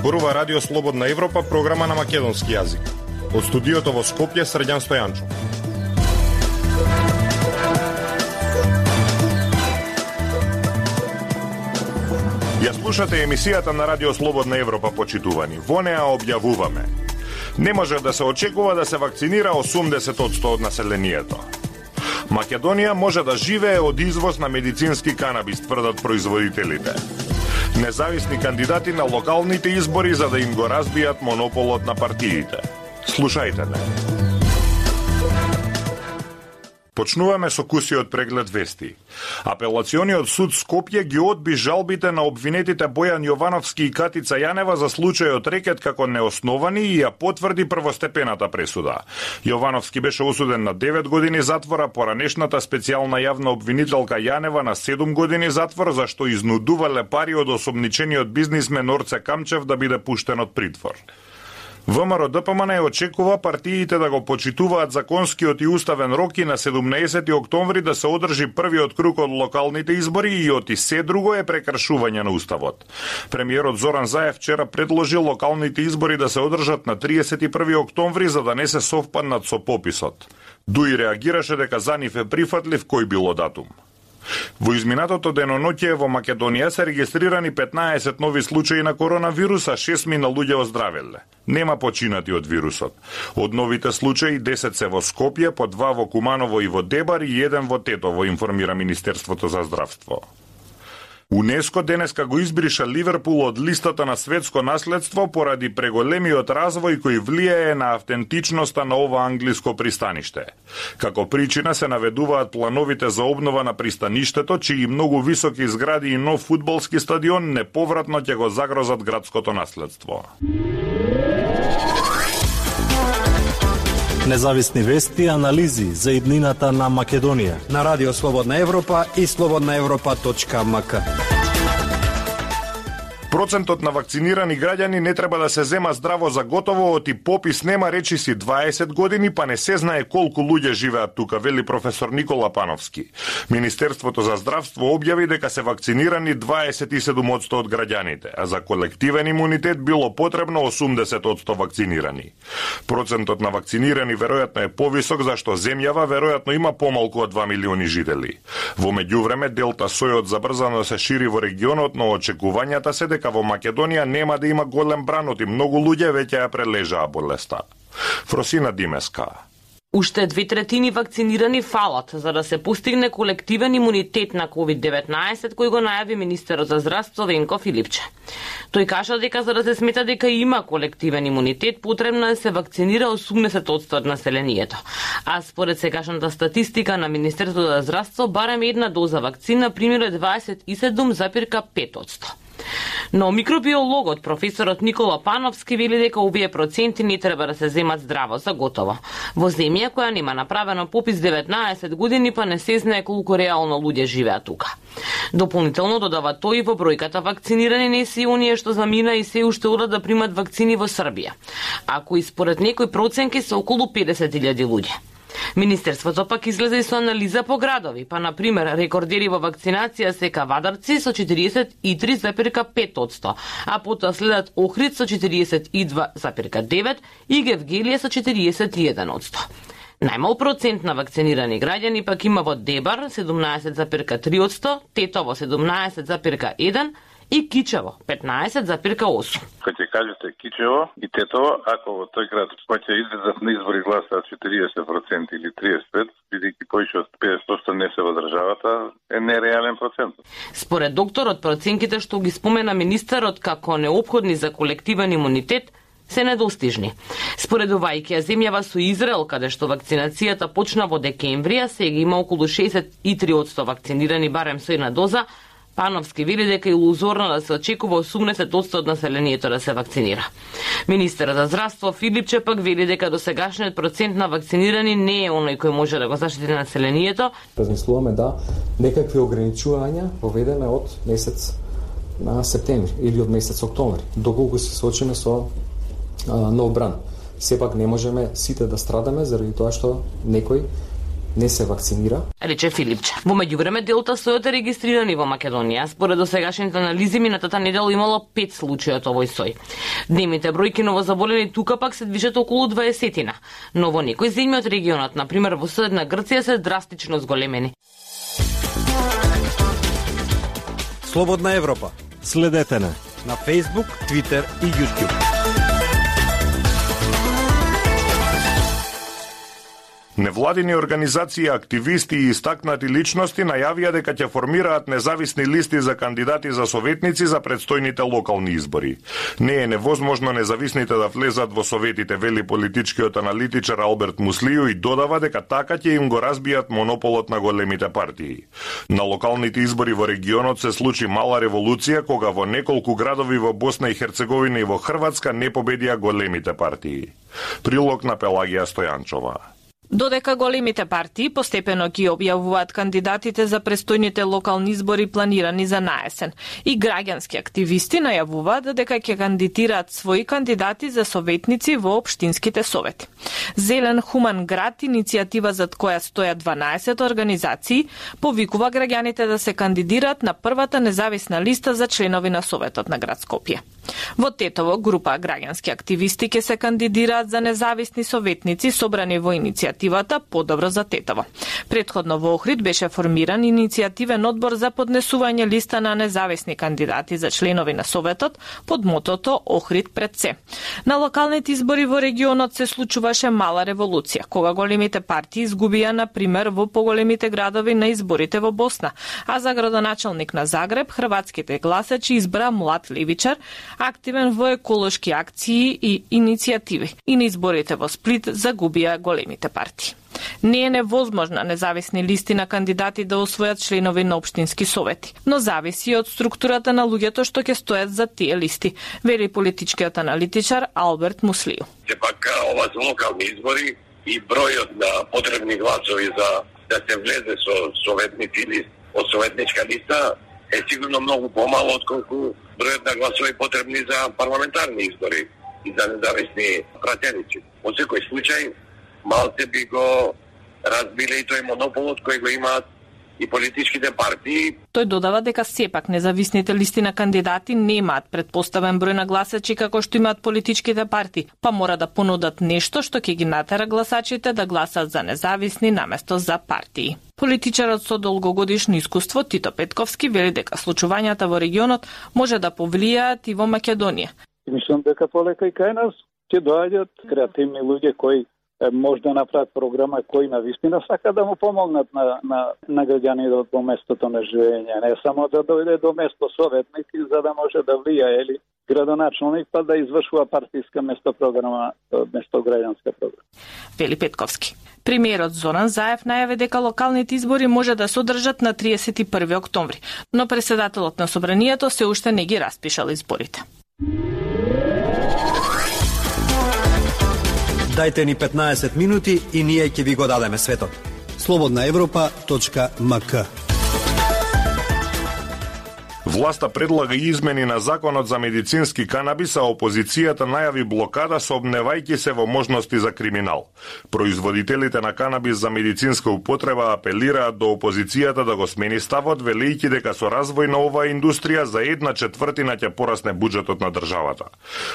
Зборува Радио Слободна Европа, програма на македонски јазик. Од студиото во Скопје, Срđan Стојанчо. Ја слушате емисијата на Радио Слободна Европа, почитувани. Во неа објавуваме: не може да се очекува да се вакцинира 80% од населението. Македонија може да живее од извоз на медицински канабис, тврдат производителите. Независни кандидати на локалните избори за да им го разбијат монополот на партиите. Слушајте ме. Почнуваме со кусиот преглед вести. Апелациониот суд Скопје ги одби жалбите на обвинетите Бојан Јовановски и Катица Јанева за случајот рекет како неосновани и ја потврди првостепената пресуда. Јовановски беше осуден на 9 години затвора, поранешната специјална јавна обвинителка Јанева на 7 години затвор, зашто изнудувале пари од осомничениот бизнисмен Орце Камчев да биде пуштен од притвор. ВМРО ДПМН очекува партиите да го почитуваат законскиот и уставен рок и на 17 октомври да се одржи првиот круг од локалните избори и оти се друго е прекршување на уставот. Премиерот Зоран Заев вчера предложи локалните избори да се одржат на 31 октомври за да не се совпаднат со пописот. Дуи реагираше дека за нив е прифатлив кој било датум. Во изминатото деноноќе во Македонија се регистрирани 15 нови случаи на коронавирус, а 6 луѓе оздравеле. Нема починати од вирусот. Од новите случаи 10 се во Скопје, по 2 во Куманово и во Дебар и 1 во Тетово, информира Министерството за здравство. УНЕСКО денеска го избриша Ливерпул од листата на светско наследство поради преголемиот развој кој влијае на автентичноста на ова англиско пристаниште. Како причина се наведуваат плановите за обнова на пристаништето, чии многу високи згради и нов фудбалски стадион неповратно ќе го загрозат градското наследство. Независни вести и анализи за иднината на Македонија на Радио Слободна Европа и slobodnaevropa.mk. Процентот на вакцинирани граѓани не треба да се зема здраво за готово, оти попис нема речиси 20 години, па не се знае колку луѓе живеат тука, вели професор Никола Пановски. Министерството за здравство објави дека се вакцинирани 27% од граѓаните, а за колективен имунитет било потребно 80% вакцинирани. Процентот на вакцинирани веројатно е повисок, зашто земјава веројатно има помалку од 2 милиони жители. Во меѓувреме, делта сојот забрзано се шири во регионот, но очекувањата се дека во Македонија нема да има голем бранот и многу луѓе веќе ја прележаа болеста. Фросина Димеска. Уште 2/3 вакцинирани фалат за да се постигне колективен имунитет на COVID-19, кој го најави министерот за здравство Венко Филипче. Тој кажа дека за да се смета дека има колективен имунитет, потребно е да се вакцинира 80% од населението. А според сегашната статистика на Министерството за здравство, барем една доза вакцина примира 27,5%. Но микробиологот професорот Никола Пановски вели дека овие проценти не треба да се земат здраво за готово. Во земја која нема направено попис 19 години, па не се знае колку реално луѓе живеат тука. Дополнително додава тој во бројката вакцинирани не се оние што замина и се уште одат да примат вакцини во Србија. Ако и според некои проценки се околу 50.000 луѓе. Министерството пак излезе и со анализа по градови, па на пример рекордери во вакцинација се Кавадарци со 43,5%, а потоа следат Охрид со 42,9% и Гевгелија со 41%. Најмал процент на вакцинирани граѓани пак има во Дебар 17,3%, Тетово 17,1% и Кичево 15,8%. Кога ќе кажете Кичево и Тетово, ако во тој град ќе излезат на избори гласаат 40% или 35%, бидејќи повеќе од 50% не се во државата, е нереален процент. Според докторот, проценките што ги спомена министерот како неопходни за колективен имунитет се недостижни. Споредувајќи ја земјава со Израел, каде што вакцинацијата почна во декември, а сега има околу 63% вакцинирани барем со една доза, Пановски вели дека е илузорно да се очекува 80% од населението да се вакцинира. Министерот за здравство Филипче пак вели дека досегашниот процент на вакцинирани не е оној кој може да го заштити населението. Размислуваме да некакви ограничувања поведеме од месец на септември или од месец октомври, доколку се соочиме со нов бран. Сепак не можеме сите да страдаме заради тоа што некој не се вакцинира, рече Филипче. Во меѓувреме делта сојот е регистриран и во Македонија. Според досегашните анализи минатата недела имало 5 случаи од овој сој. Дневните бројки новозаболени тука пак се движат околу 20-тина, но во некои земји од регионот, на пример во соседна Грција, се драстично зголемени. Слободна Европа. Следете на Facebook, Twitter и YouTube. Невладини организации, активисти и истакнати личности најавија дека ќе формираат независни листи за кандидати за советници за предстојните локални избори. Не е невозможно независните да влезат во советите, вели политичкиот аналитичар Алберт Муслију и додава дека така ќе им го разбијат монополот на големите партии. На локалните избори во регионот се случи мала револуција кога во неколку градови во Босна и Херцеговина и во Хрватска не победија големите партии. Прилог на Пелагија Стојанчова. Додека големите партии постепено ги објавуваат кандидатите за престојните локални избори планирани за наесен, и граѓански активисти најавуваат дека ќе кандидираат своји кандидати за советници во општинските совети. Зелен хуман град, иницијатива зад која стојат 12 организации, повикува граѓаните да се кандидираат на првата независна листа за членови на Советот на град Скопје. Во Тетово, група граѓански активисти ќе се кандидираат за независни советници собрани во иницијативата Подобро за Тетово. Предходно во Охрид беше формиран иницијативен одбор за поднесување листа на независни кандидати за членови на Советот под мотото Охрид пред се. На локалните избори во регионот се случуваше мала револуција, кога големите партии изгубија, на пример, во поголемите градови на изборите во Босна, а за градоначалник на Загреб хрватските гласачи избра млад левичар, активен во еколошки акции и иницијативи, и на изборите во Сплит загубија големите партии. Не е невозможна независни листи на кандидати да освојат членови на општински совети, но зависи од структурата на луѓето што ќе стојат за тие листи, вели политичкиот аналитичар Алберт Муслију. Сепак ова се локални избори и бројот на потребни гласови за да се влезе со советници или од советничка листа е сигурно многу помало отколку бројот на гласови потребни за парламентарни избори и за независни пратеници. Во секој случај, малце би го разбиле и тој монополот кој го имаат и политичките партии. Тој додава дека сепак независните листи на кандидати немаат предпоставен број на гласачи како што имаат политичките партии, па мора да понудат нешто што ќе ги натера гласачите да гласат за независни наместо за партии. Политичарот со долгогодишно искуство Тито Петковски вели дека случувањата во регионот може да повлијаат и во Македонија. Мислам дека полека и кај нас ќе доаѓаат креативни луѓе кои може да направат програма кои навистина сака да му помогнат на граѓаните во местото на живење, не само да дојде до место советник за да може да влијае или градоначалник па да извршува партиска место програма, место граѓанска програма. Вели Петковски. Премиерот Зоран Заев најави дека локалните избори може да се одржат на 31 октомври, но председателот на собранието се уште не ги распишал изборите. Дајте ни 15 минути и ние ќе ви го дадеме светот. slobodnaevropa.mk. Власта предлага измени на законот за медицински канабис, а опозицијата најави блокада сообневајќи се во можности за криминал. Производителите на канабис за медицинска употреба апелираат до опозицијата да го смени ставот, велејќи дека со развој на оваа индустрија за 1/4 ќе порасне буџетот на државата.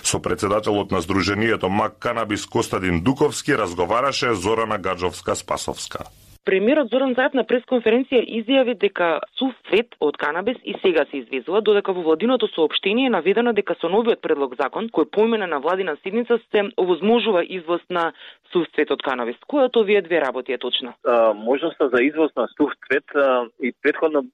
Со председателот на Сдруженијето МАК Канабис Костадин Дуковски разговараше Зорана Гаджовска-Спасовска. Премиерот Зоран Заев на пресконференција изјави дека сув цвет од канабис и сега се извезува, додека во владиното соопштение е наведено дека со новиот предлог закон, кој помина на владина седница, се овозможува извоз на сув цвет од канабис. Која од овие две работи е точна? Можноста за извоз на сув цвет и претходно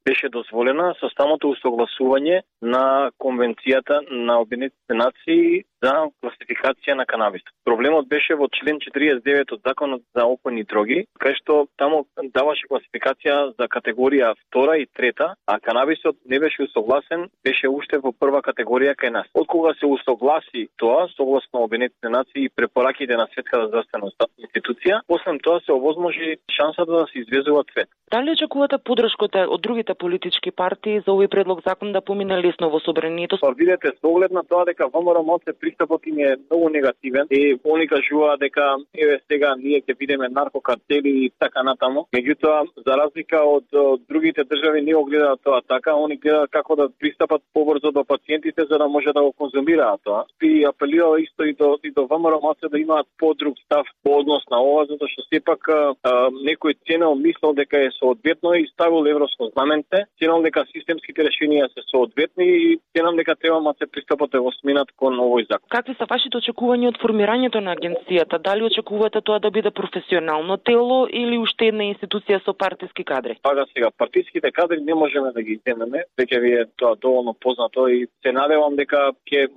беше дозволена со самото усогласување на Конвенцијата на Обединетите нации за класификација на канабис. Проблемот беше во член 49 од Законот за опојни дроги, кај што таму даваше класификација за категорија 2 и 3, а канабисот не беше усогласен, беше уште во прва категорија кај нас. Откога се усогласи тоа, согласно Обединетите нации и препораките на Светската здравствена институција, после тоа се овозможи шансата да се извезува цвет. Дали очекувате поддршката од другите политички партии за овој предлог закон да помине лесно во собранието? Видете, со оглед на тоа дека ВМРО пристапот им е многу негативен и они кажуваат дека еве сега ние ќе бидеме наркокартели и така натаму. Меѓутоа, за разлика од другите држави не го гледаат тоа така, они гледаат како да пристапат побрзо до пациентите за да може да го конзумираат тоа. И апелирал исто и до ВМРО да имаат подруг став по однос на ова, затоа што сепак некој ценел мислел дека е соодветно и ставил европско знаменце, ценел дека системските решенија се соодветни и ценам дека треба да се пристапот да го сменат кон овој закон. Какви се вашите очекувања од формирањето на агенцијата? Дали очекувате тоа да биде професионално тело или уште една институција со партиски кадри? Пага сега, партиските кадри не можеме да ги земеме, веќе ви е тоа доволно познато и се надевам дека ќе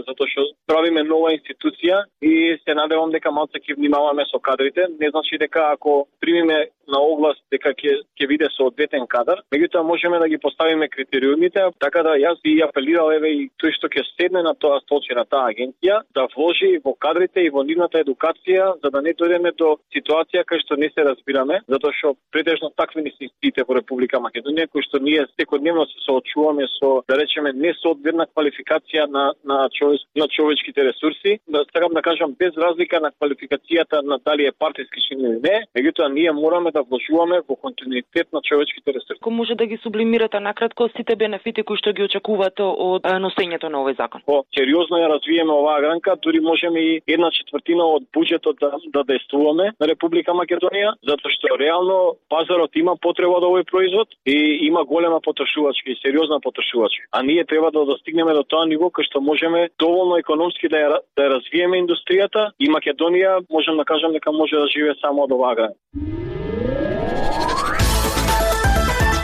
затоа што правиме нова институција и се надевам дека малце ќе внимаваме со кадрите. Не значи дека ако примиме на оглас дека ќе биде соодветен кадар, меѓутоа можеме да ги поставиме критериумите, така да јас би апелирал еве и тој што ќе седне на тоа столче на таа агенција да вложи во кадрите и во нивната едукација, за да не дојдеме до ситуација кај што не се разбираме, затоа што претежно такви не се институциите во Република Македонија кои што ние секојдневно се соочуваме со, да речеме, несоодветна квалификација на човечките ресурси. Сакам да кажам, без разлика на квалификацијата на дали е партиски член или не, меѓутоа ние мораме да вложуваме во континуитет на човечките ресурси. Како може да ги сублимирате накратко сите бенефити кои што ги очекувате од носењето на овој закон? Сериозно ја развиеме оваа гранка, дури можеме и 1/4 од буџетот да действуваме на Република Македонија, затоа што реално пазарот има потреба од овој производ и има голема потрошувачка и сериозна потрошувачка. А ние треба да достигнеме до тоа ниво кај што можеме доволно економски да ја развиеме индустријата и Македонија можам да кажам дека може да живее само од оваа гранка.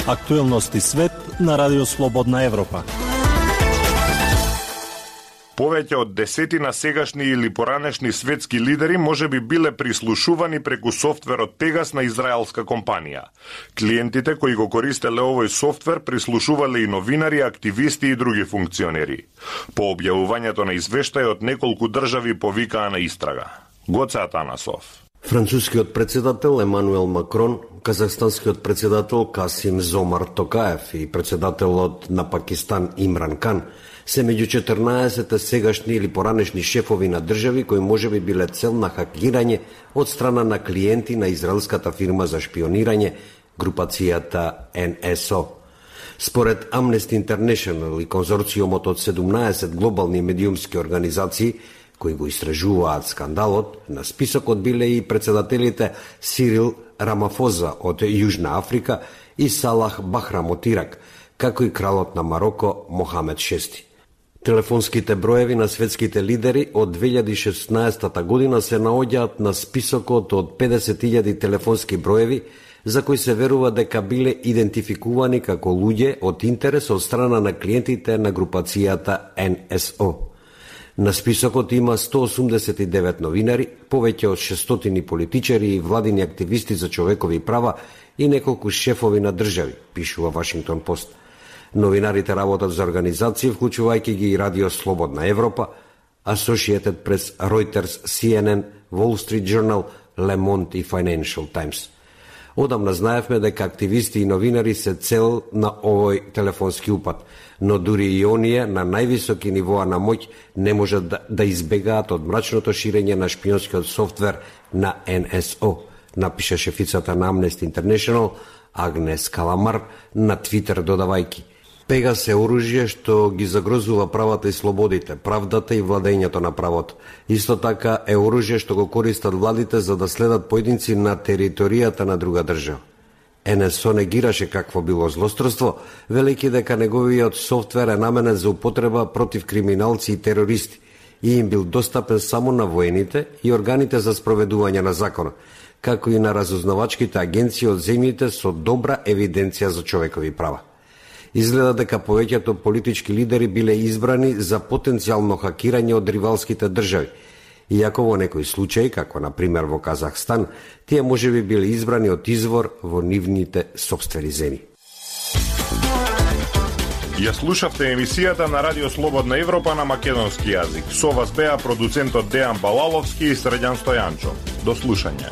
Актуелности свет на Радио Слободна Европа. Повеќе од 10 сегашни или поранешни светски лидери може би биле прислушувани преку софтверот Пегас на израелска компанија. Клиентите кои го користеле овој софтвер прислушувале и новинари, активисти и други функционери. По објавувањето на извештајот неколку држави повикаа на истрага. Гоце Атанасов. Францускиот председател Емануел Макрон, казахстанскиот председател Касим Зомар Токаев и председателот на Пакистан Имран Кан се меѓу 14 сегашни или поранешни шефови на држави кои можеби биле цел на хакирање од страна на клиенти на израелската фирма за шпионирање, групацијата НСО. Според Amnesty International и конзорциумот од 17 глобални медиумски организации кои го истражуваат скандалот, на списокот биле и председателите Сирил Рамафоза од Јужна Африка и Салах Бахрам од Ирак, како и кралот на Мароко Мохамед VI. Телефонските броеви на светските лидери од 2016 година се наоѓаат на списокот од 50.000 телефонски броеви за кои се верува дека биле идентификувани како луѓе од интерес од страна на клиентите на групацијата НСО. На списокот има 189 новинари, повеќе од 600 политичари и владини активисти за човекови права и неколку шефови на држави, пишува Вашингтон Пост. Новинарите работат за организации, вклучувајќи ги и Радио Слободна Европа, Associated Press, Reuters, CNN, Wall Street Journal, Le Monde и Financial Times. Одамна знаевме дека активисти и новинари се цел на овој телефонски упад, но дури и оние на највисоки нивоа на моќ не можат да избегаат од мрачното ширење на шпионскиот софтвер на НСО, напиша шефицата на Amnesty International Агнес Каламар на Твитер додавајки: Пегас е оружје што ги загрозува правата и слободите, правдата и владењето на правото. Исто така е оружје што го користат владите за да следат поединци на територијата на друга држава. НСО негираше какво било злосторство, велики дека неговиот софтвер е наменен за употреба против криминалци и терористи и им бил достапен само на воените и органите за спроведување на закона, како и на разузнавачките агенции од земјите со добра евиденција за човекови права. Изгледа дека повеќето политички лидери биле избрани за потенцијално хакирање од ривалските држави, иако во некои случаи, како на пример во Казахстан, тие можеби биле избрани од извор во нивните сопствени земји. Ја слушавте емисијата на Радио Слободна Европа на македонски јазик. Со вас беа продуцентот Дејан Балаловски и Средјан Стојанчо. До слушање.